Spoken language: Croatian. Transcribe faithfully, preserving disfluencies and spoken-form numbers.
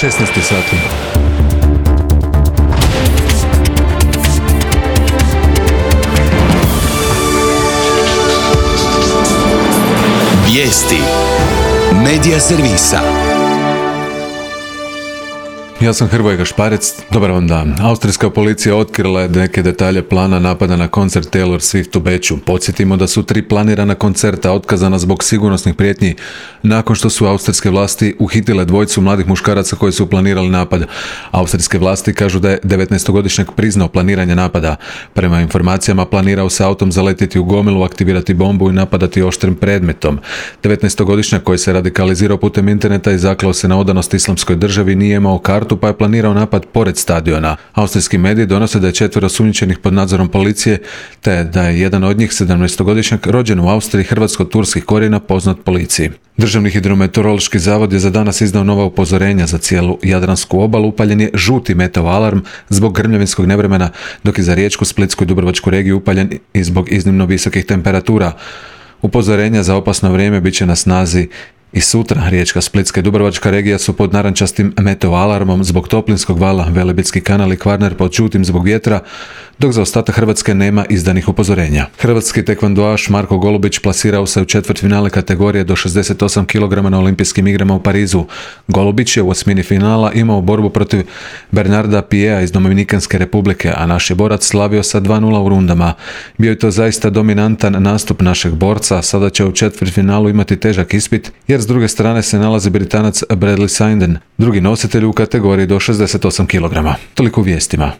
šesnaest sati. Vijesti Medija servisa. Ja sam Hrvoje Gašparec, dobar vam dan. Austrijska policija otkrila je neke detalje plana napada na koncert Taylor Swift u Beču. Podsjetimo da su tri planirana koncerta otkazana zbog sigurnosnih prijetnji nakon što su austrijske vlasti uhitile dvojicu mladih muškaraca koji su planirali napad. Austrijske vlasti kažu da je devetnaestogodišnjak priznao planiranje napada. Prema informacijama planirao se autom zaletjeti u gomilu, aktivirati bombu i napadati oštrim predmetom. devetnaestogodišnjak koji se radikalizirao putem interneta i zaklao se na odanost islamskoj državi nije imao kartu pa je planirao napad pored stadiona. Austrijski mediji donose da je četvero osumnjičenih pod nadzorom policije, te da je jedan od njih sedamnaestogodišnjak rođen u Austriji hrvatsko-turskih korijena poznat policiji. Državni hidrometeorološki zavod je za danas izdao nova upozorenja za cijelu Jadransku obalu. Upaljen je žuti meteo alarm zbog grmljavinskog nevremena, dok je za Riječku, Splitsku i Dubrovačku regiju upaljen i zbog iznimno visokih temperatura. Upozorenja za opasno vrijeme bit će na snazi i sutra. Riječka, Splitska i Dubrovačka regija su pod narančastim meteo alarmom zbog toplinskog vala, Velebitski kanal i Kvarner pod žutim zbog vjetra, dok za ostatak Hrvatske nema izdanih upozorenja. Hrvatski tekvandoaš Marko Golubić plasirao se u četvrtfinale kategorije do šezdeset osam kilograma na Olimpijskim igrama u Parizu. Golubić je u osmini finala imao borbu protiv Bernarda Piea iz Dominikanske republike, a naš je borac slavio sa dva nula u rundama. Bio je to zaista dominantan nastup našeg borca, sada će u četvrtfinalu imati težak ispit, jer s druge strane se nalazi Britanac Bradley Sinden, drugi nositelj u kategoriji do šezdeset osam kilograma. Toliko u vijestima.